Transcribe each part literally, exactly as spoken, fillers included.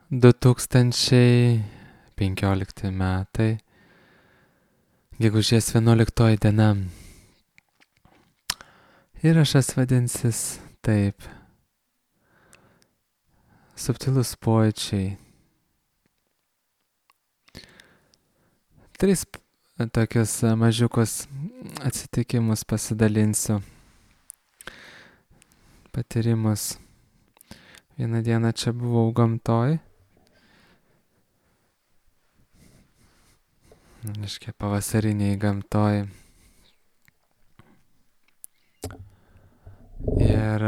du tūkstančiai penkiolikti metai, gegužės vienuoliktoji diena. Įrašas vadinsis taip. Subtilus pojūčiai. Tris tokius mažiukus atsitikimus pasidalinsiu. Patyrimus. Vieną dieną čia buvau gamtoj. Reiškia, pavasariniai gamtoj. Ir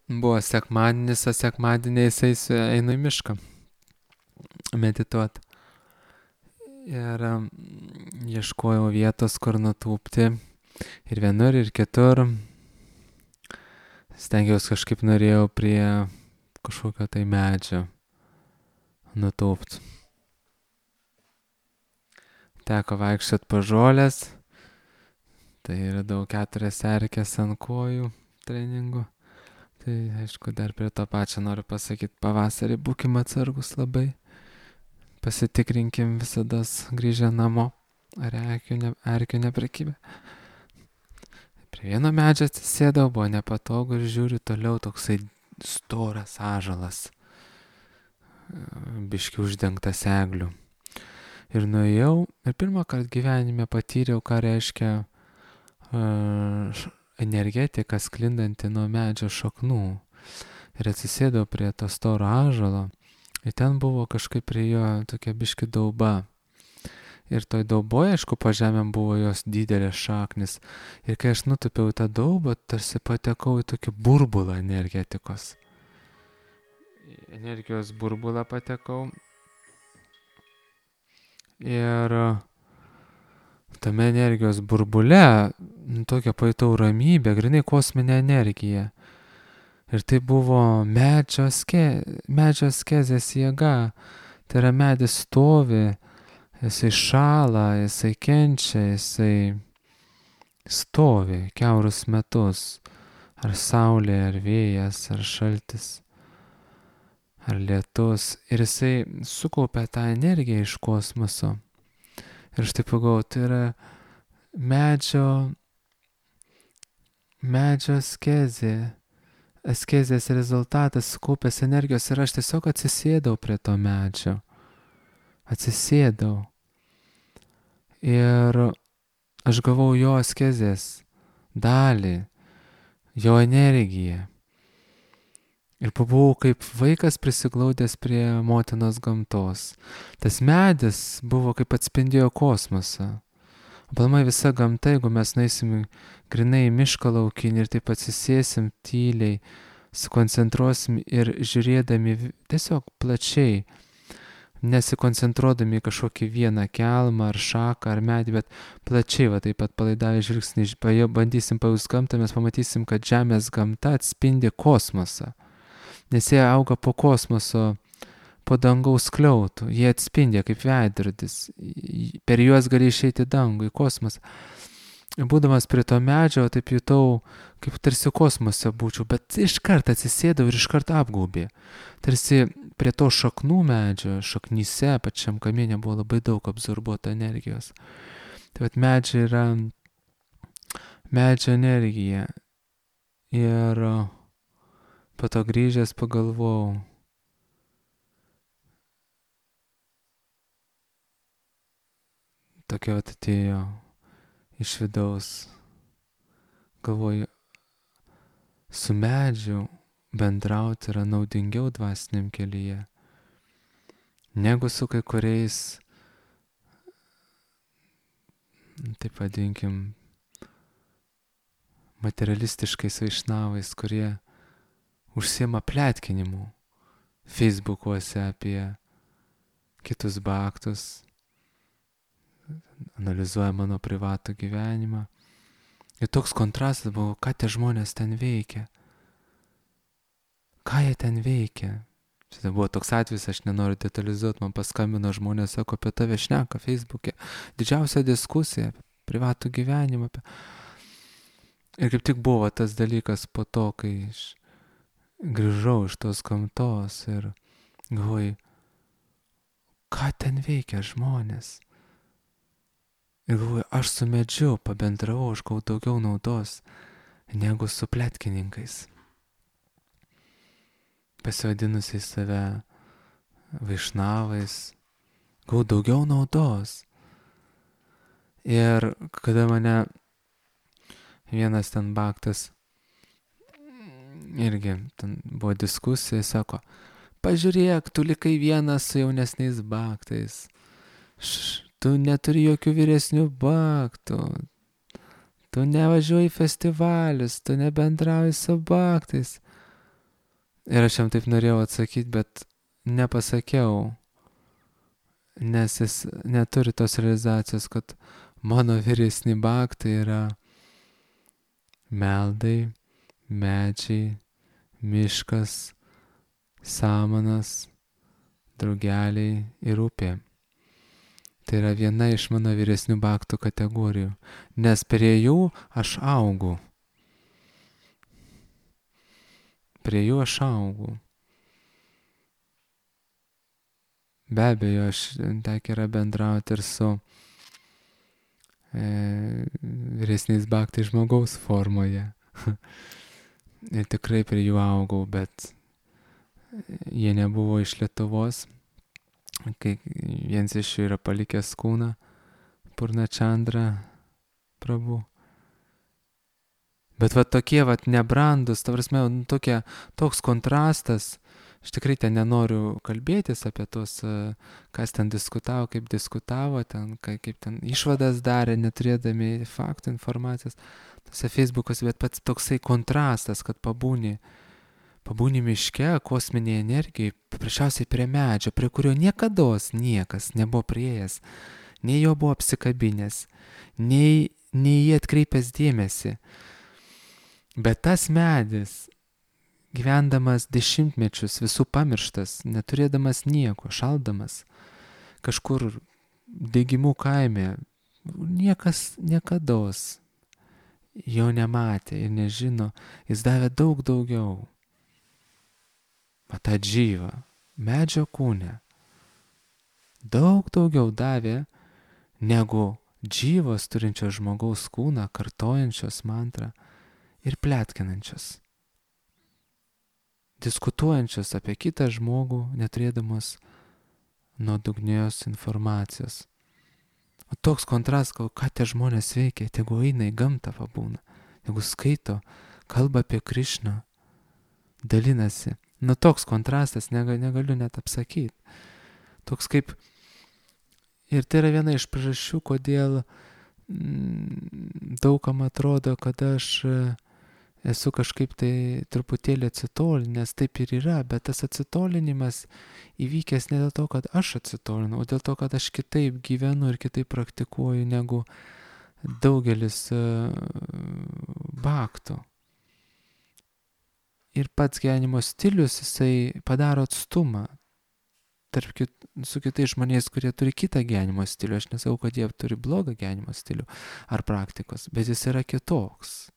buvo sekmadienis, o sekmadieniais einu į mišką medituot. Ir ieškojau vietos, kur nutūpti. Ir vienur, ir kitur. Stengiausi kažkaip norėjau prie kažkokio tai medžio nutūpt. Teko vaikščiot po žolės. Tai radau keturias erkes ant kojų treningų. Tai aišku, dar prie to pačio noriu pasakyti, pavasarį būkim atsargus labai. Pasitikrinkim visada grįžę namo, ar erkių ne, neprekybė. Prie vieno medžio atsisėdau, buvo nepatogu ir žiūriu toliau toksai storas ąžuolas, biški uždengtas eglių. Ir nuėjau ir pirmą kartą gyvenime patyriau, ką reiškia uh, energetika sklindanti nuo medžio šaknų. Ir atsisėdau prie to storo ąžuolo. Ir ten buvo kažkaip prie jo tokia biški dauba. Ir toj dauboje, aišku, po žemėm buvo jos didelės šaknis. Ir kai aš nutupiau tą daubą, tarsi patekau į tokį burbulą energetikos. Energijos burbulą patekau. Ir tame energijos burbule tokią pajutau ramybę, grinai kosminę energiją. Ir tai buvo medžio, ske, medžio skezės jėga. Tai yra medis stovi, jisai šąla, jisai kenčia, jisai stovi kiaurus metus. Ar saulė, ar vėjas, ar šaltis, ar lietus. Ir jisai sukaupia tą energiją iš kosmoso. Ir aš taip pagalvojau, tai yra medžio, medžio skezė. Askezės rezultatas sukaupęs energijos ir aš tiesiog atsisėdau prie to medžio. Atsisėdau. Ir aš gavau jo askezės dalį, jo energiją. Ir pabuvau kaip vaikas prisiglaudęs prie motinos gamtos. Tas medis buvo kaip atspindėjo kosmosą. Aplamai visa gamta, jeigu mes nueisim grinai į mišką laukinį ir taip atsisėsim tyliai, sukoncentruosim ir žiūrėdami tiesiog plačiai, nesikoncentruodami į kažkokį vieną kelmą ar šaką ar medį, bet plačiai, va taip pat palaidavę žvilgsnį, bandysim pajaust gamtą, mes pamatysim, kad žemės gamta atspindi kosmosą. Nes jie auga po kosmoso, po dangaus skliautų, jie atspindė kaip veidrodis, per juos gali išeiti dangų, į kosmosą. Būdamas prie to medžio, taip jutau, kaip tarsi kosmose būčiau, bet iškart atsisėdau ir iškart apgaubė. Tarsi prie to šaknų medžio, šaknyse, pačiam kamiene buvo labai daug absorbuota energijos. Tai vat medžio yra medžio energija. Ir po to grįžęs pagalvojau, tokia vat atėjo iš vidaus. Galvoju, su medžiu bendrauti yra naudingiau dvasiniam kelyje, negu su kai kuriais, taip vadinkim, materialistiškais vaišnavais, kurie užsiema pletkinimu Facebookuose apie kitus baktus, analizuoja mano privatų gyvenimą. Ir toks kontrastas buvo, ką tie žmonės ten veikia. Ką jie ten veikia. Šitą buvo toks atvejis, aš nenoriu detalizuoti, man paskambino žmonės, sako, apie tave šneka Facebook'e. Didžiausia diskusija apie privatų gyvenimą. Apie... Ir kaip tik buvo tas dalykas po to, kai iš grįžau iš tos gamtos ir galvoju, ką ten veikia žmonės. Ir galvoju, aš su medžiu pabendravau, aš gavau daugiau naudos negu su pletkininkais, pasivadinusiais save vaišnavais, gavau daugiau naudos. Ir kada mane vienas ten baktas, irgi ten buvo diskusija, sako, pažiūrėk, tu likai vienas su jaunesniais baktais, Š, tu neturi jokių vyresnių baktų, tu nevažiuoji į festivalius, tu nebendrauji su baktais. Ir aš jam taip norėjau atsakyti, bet nepasakiau, nes jis neturi tos realizacijos, kad mano vyresni baktai yra meldai, medžiai, miškas, samanas, drugeliai ir upė. Tai yra viena iš mano vyresnių baktų kategorijų, nes prie jų aš augu. Prie jų aš augu. Be abejo, aš tekia yra bendrauti ir su e, vyresniais baktais žmogaus formoje. Ir tikrai prie jų augau, bet jie nebuvo iš Lietuvos. Kai vienas iš jų yra palikęs kūną, Purnachandra Prabhu. Bet va tokie va nebrandus, ta prasme, nu, tokia, toks kontrastas. Aš tikrai ten nenoriu kalbėtis apie tos, kas ten diskutavo, kaip diskutavo, ten, kaip ten išvadas darė, neturėdami faktų informacijos, tose Facebook'ose, bet pats toksai kontrastas, kad pabūni, pabūni miške, kosminėje energijoje, paprasčiausiai prie medžio, prie kurio niekados niekas nebuvo prieėjęs, nei jo buvo apsikabinęs, nei, nei jį atkreipęs dėmesį. Bet tas medis, gyvendamas dešimtmečius, visų pamirštas, neturėdamas nieko, šaldamas, kažkur Degimų kaime, niekas niekados jo nematė ir nežino, jis davė daug daugiau. O tą džyvą, medžio kūne, daug daugiau davė negu džyvos turinčios žmogaus kūną, kartojančios mantrą ir pletkinančios. Diskutuojančios apie kitą žmogų, neturėdamos nuodugnios informacijos. O toks kontrastas, ką tie žmonės veikia, tegu eina į gamtą pabūna, tegu skaito, kalba apie Krišną, dalinasi. Nu toks kontrastas, negaliu, negaliu net apsakyti. Toks kaip, ir tai yra viena iš priežasčių, kodėl mm, daugam atrodo, kad aš esu kažkaip tai truputėlį atsitolinęs, taip ir yra, bet tas atsitolinimas įvykęs ne dėl to, kad aš atsitolinu, o dėl to, kad aš kitaip gyvenu ir kitaip praktikuoju negu daugelis uh, baktų. Ir pats gyvenimo stilius, jisai padaro atstumą tarp kit, su kitais žmonės, kurie turi kitą gyvenimo stilių. Aš nesakau, kad jie turi blogą gyvenimo stilių ar praktikos, bet jis yra kitoks.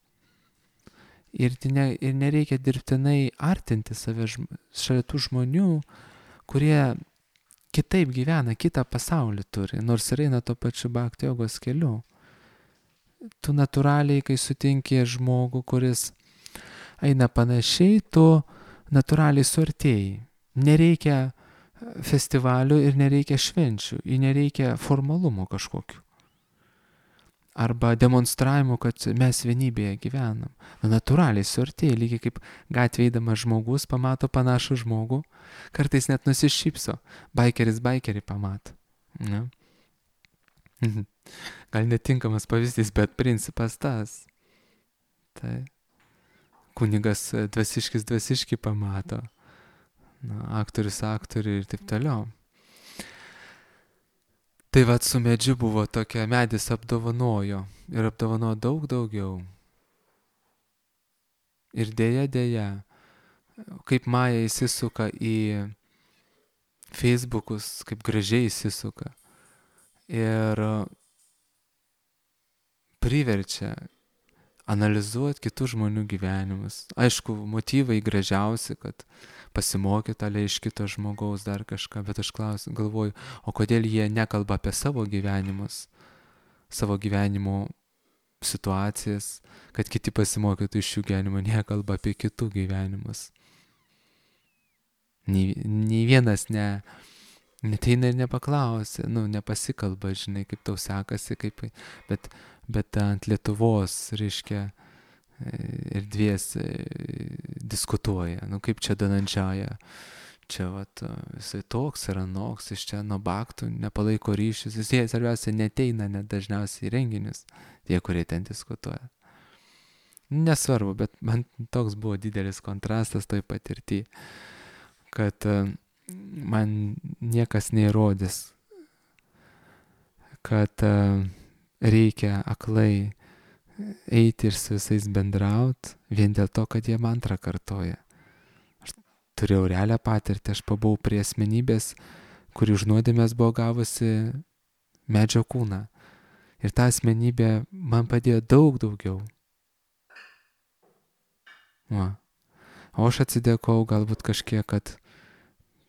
Ir, ne, ir nereikia dirbtinai artinti save šalia tų žmonių, kurie kitaip gyvena, kitą pasaulį turi, nors ir eina to pačiu bhakti jogos keliu. Tu natūraliai, kai sutinki žmogų, kuris eina panašiai, tu natūraliai suartėjai. Nereikia festivalių ir nereikia švenčių, ir nereikia formalumų kažkokių. Arba demonstravimo, kad mes vienybėje gyvenam. Nu, natūraliai suartėja, lygiai kaip gatvėje eidamas žmogus pamato panašų žmogų, kartais net nusišypso, baikeris baikerį pamato. Ne? Gal netinkamas pavyzdys, bet principas tas. Tai kunigas dvasiškis dvasiškį pamato, na, aktorius aktorių ir taip toliau. Tai vat su medžiu buvo tokia, medis apdovanojo ir apdovanojo daug daugiau. Ir dėja, dėja, kaip Maja įsisuka į Facebookus, kaip gražiai įsisuka ir priverčia analizuoti kitų žmonių gyvenimus. Aišku, motyvai gražiausi, kad pasimokyt ale iš kito žmogaus dar kažką, bet aš klausiu, galvoju, o kodėl jie nekalba apie savo gyvenimus, savo gyvenimo situacijas, kad kiti pasimokytų iš jų gyvenimo, nekalba apie kitų gyvenimus. Nei, nei vienas ne, neteina ir nepaklausia, nu, nepasikalba, žinai, kaip tau sekasi, kaip, bet, bet ant Lietuvos, reiškia, erdvės diskutuoja, nu, kaip čia Danandžiaja, čia, vat, jisai toks ir anoks, iš čia nuo baktų nepalaiko ryšius, jisai svarbiausia neteina net dažniausiai į renginius, tie, kurie ten diskutuoja. Nesvarbu, bet man toks buvo didelis kontrastas toj patirtį, kad man niekas neįrodys, kad reikia aklai eiti ir su visais bendraut, vien dėl to, kad jie mantrą kartoja. Aš turėjau realią patirtį, aš pabuvau prie asmenybės, kuri už nuodėmės buvo gavusi medžio kūną. Ir ta asmenybė man padėjo daug daugiau. Va. O aš atsidėkau galbūt kažkiek, kad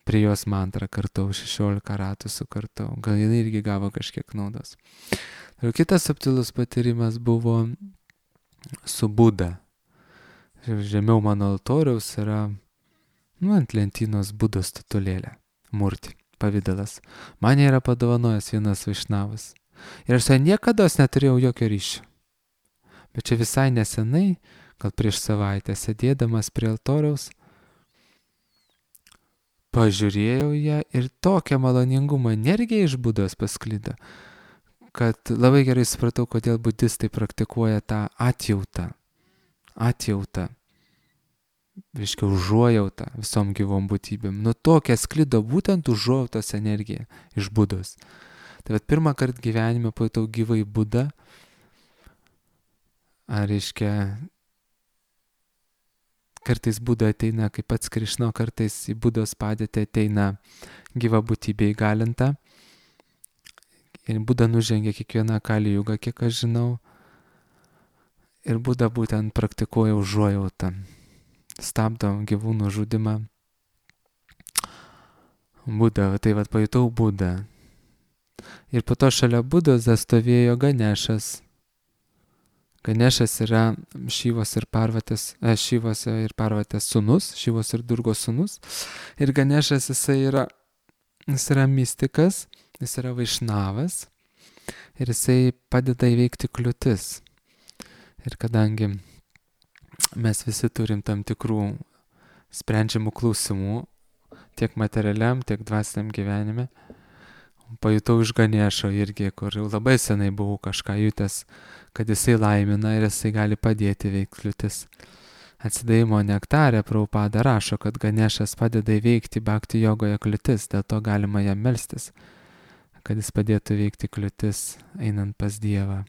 prie jos mantrą kartau, šešiolika ratų sukartau. Gal jinai irgi gavo kažkiek naudos. Ir kitas subtilus patyrimas buvo su Buda. Žemiau mano altoriaus yra, nu, ant lentynos Budos statulėlė, murti, pavidalas. Man yra padovanojęs vienas vaišnavas. Ir aš su juo niekada neturėjau jokio ryšio. Bet čia visai nesenai, gal prieš savaitę, sėdėdamas prie altoriaus, pažiūrėjau ją ir tokią maloningumo energiją iš Budos pasklido, kad labai gerai supratau, kodėl budistai praktikuoja tą atjautą. Atjautą. Reiškia, užuojautą visom gyvom būtybėm. Nu tokia sklido būtent užuojautos energija iš Budos. Tai vat pirmą kartą gyvenime pajutau gyvai Budą. Ar reiškia, kartais Buda ateina, kaip pats Krišna, kartais į Budos padėtį ateina gyva būtybė įgalinta. Ir Buda nužengia kiekvieną Kali jugą, kiek aš žinau. Ir Buda būtent praktikuoja užuojautą. Stabdo gyvūnų žudimą. Buda, tai vat pajutau Budą. Ir po to šalia Budos stovėjo Ganešas. Ganešas yra Šivos ir Parvatės, e, Šivos ir Parvatės sūnus, Šivos ir Durgos sūnus. Ir Ganešas jisai yra, jis yra mistikas, jis yra vaišnavas ir jisai padeda įveikti kliūtis. Ir kadangi mes visi turim tam tikrų sprendžiamų klausimų, tiek materialiam, tiek dvasiniam gyvenime, pajutau iš Ganešo irgi, kur jau labai senai buvau kažką jutęs, kad jisai laimina ir jisai gali padėti įveikti kliūtis. Atsidavimo nektarė Prabhupada rašo, kad Ganešas padeda įveikti bhakti jogoje kliūtis, dėl to galima jam melstis, kad jis padėtų įveikti kliūtis einant pas Dievą.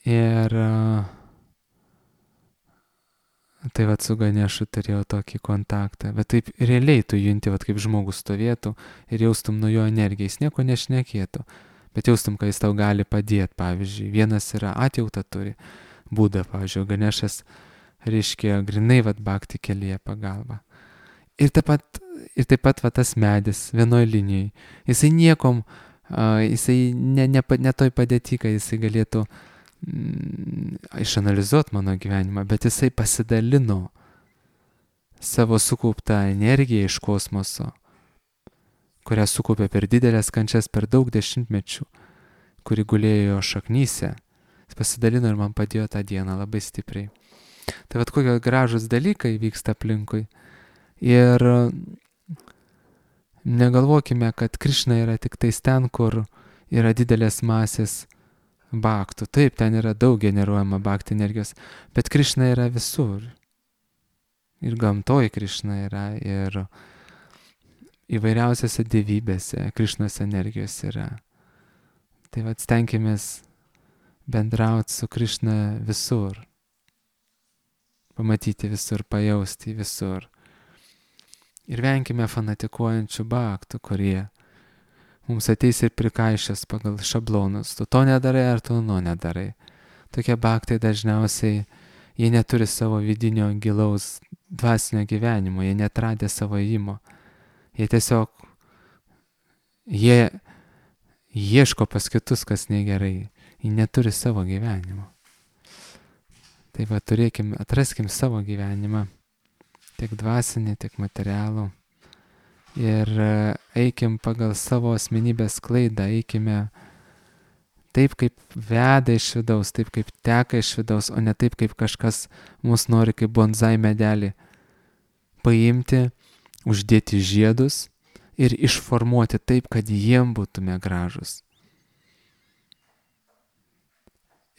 Ir tai vat su Ganešu turėjau tokį kontaktą, bet taip realiai tu junti, vat kaip žmogus stovėtų ir jaustum nuo jo energiją, jis nieko nešnekėtų, bet jaustum, kad jis tau gali padėti, pavyzdžiui, vienas yra atjautą turi, Buda, pavyzdžiui, Ganešas reiškia grinai vat bhakti kelyje pagalba. Ir taip pat, ir taip pat vat tas medis vienoj linijai, jisai niekom, uh, jisai ne, ne, ne toj padėti, kad jisai galėtų mm, išanalizuoti mano gyvenimą, bet jisai pasidalino savo sukauptą energiją iš kosmoso, kurią sukaupė per didelės kančias per daug dešimtmečių, kuri gulėjo jo šaknyse. Jis pasidalino ir man padėjo tą dieną labai stipriai. Tai vat kokie gražus dalykai vyksta aplinkui. Ir negalvokime, kad Krišna yra tik tais ten, kur yra didelės masės bhaktų. Taip, ten yra daug generuojama bhakti energijos, bet Krišna yra visur. Ir gamtoj Krišna yra, ir įvairiausiose dievybėse Krišnos energijos yra. Tai vat stenkimės bendrauti su Krišna visur. Pamatyti visur, pajausti visur. Ir venkime fanatikuojančių bhaktų, kurie mums ateis ir prikaišės pagal šablonus. Tu to nedarai ar tu to nedarai. tokie baktai dažniausiai, jie neturi savo vidinio gilaus dvasinio gyvenimo, jie netradė savo įmo. Jie tiesiog, jie ieško pas kitus, kas negerai. Jie neturi savo gyvenimo. Tai va, turėkim, atraskim savo gyvenimą, tiek dvasinį, tiek materialų. Ir eikim pagal savo asmenybės klaidą, eikime taip, kaip veda iš vidaus, taip, kaip teka iš vidaus, o ne taip, kaip kažkas mus nori kaip bonsai medelį paimti, uždėti žiedus ir išformuoti taip, kad jiem būtume gražus.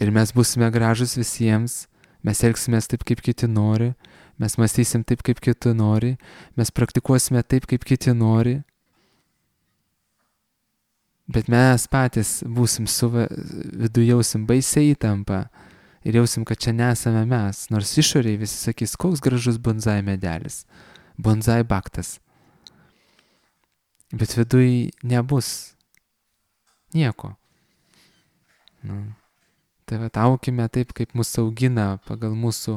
Ir mes būsime gražus visiems, mes elgsimės taip, kaip kiti nori, mes mąstysim taip, kaip kiti nori, mes praktikuosime taip, kaip kiti nori, bet mes patys būsim suva, viduje jausim baisiai įtampą ir jausim, kad čia nesame mes, nors išoriai visi sakys, koks gražus bonsai medelis, bonsai baktas. Bet viduje nebus nieko. Nu. Tai va, aukime taip, kaip mūsų augina pagal mūsų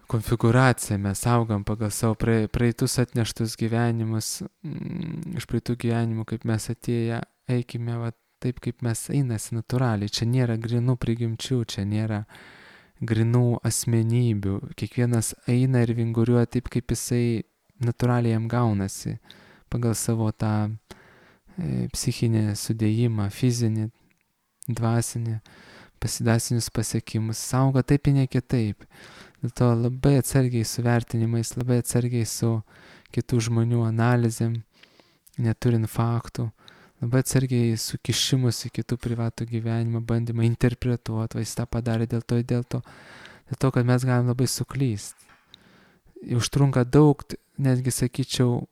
konfiguraciją, mes augam pagal savo praeitus atneštus gyvenimus, iš praeitų gyvenimų, kaip mes atėję, eikime va, taip, kaip mes einasi natūraliai. Čia nėra grinų prigimčių, čia nėra grinų asmenybių. Kiekvienas eina ir vinguriuoja taip, kaip jisai natūraliai jam gaunasi, pagal savo tą e, psichinį sudėjimą, fizinį, dvasinį, pasidasinius pasiekimus. Saugo taip ir ne kitaip. Dėl to labai atsargiai su vertinimais, labai atsargiai su kitų žmonių analizėm, neturint faktų, labai atsargiai su kišimus į kitų privatų gyvenimą, bandymą interpretuoti, va jis tą padarė dėl to, dėl to, dėl to, kad mes galim labai suklysti. Užtrunka daug, netgi sakyčiau,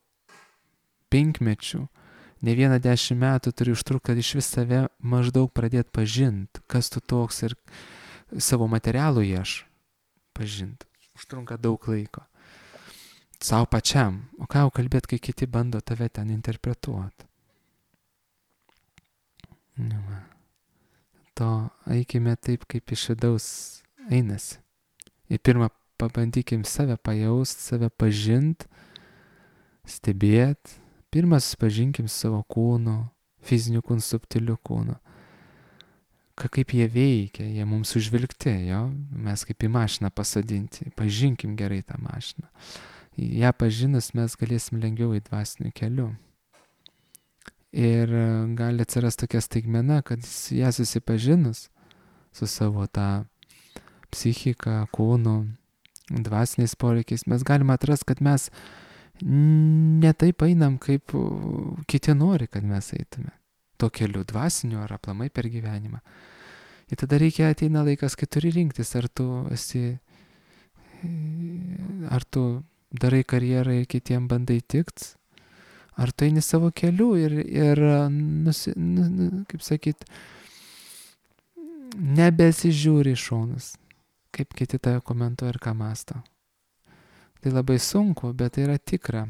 penkmečių, ne vieną dešimt metų turi užtrukti, kad iš vis save maždaug pradėti pažinti, kas tu toks ir savo materialų ieš pažinti. Užtrunka daug laiko. Sau pačiam. O ką jau kalbėti, kai kiti bando tave ten interpretuoti. Nu, to eikime taip, kaip iš vidaus einasi. Ir pirmą pabandykim save pajaust, save pažint, stebėt. Pirmą susipažinkim savo kūnu, fiziniu kūnu, subtiliu kūnu. Ka, kaip jie veikia, jie mums užvilgti, jo? Mes kaip į mašiną pasadinti, pažinkim gerai tą mašiną. Ja pažinus mes galėsim lengviau į dvasinių kelių. Ir gali atsirasti tokia staigmena, kad ją susipažinus su savo tą psichiką, kūnu, dvasiniais poreikiais, mes galime atrasti, kad mes ne taip einam, kaip kiti nori, kad mes eitume. To keliu dvasiniu ar aplamai per gyvenimą. Ir tada reikia ateina laikas, kai turi rinktis, ar tu esi, ar tu darai karjerą ir kitiem bandai tikt, ar tu eini savo keliu ir, ir nusi, nu, kaip sakyt, nebesižiūri į šonus, kaip kiti tave komentuoja ir ką mąsto. Tai labai sunku, bet tai yra tikra.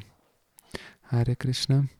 Hare Krishna.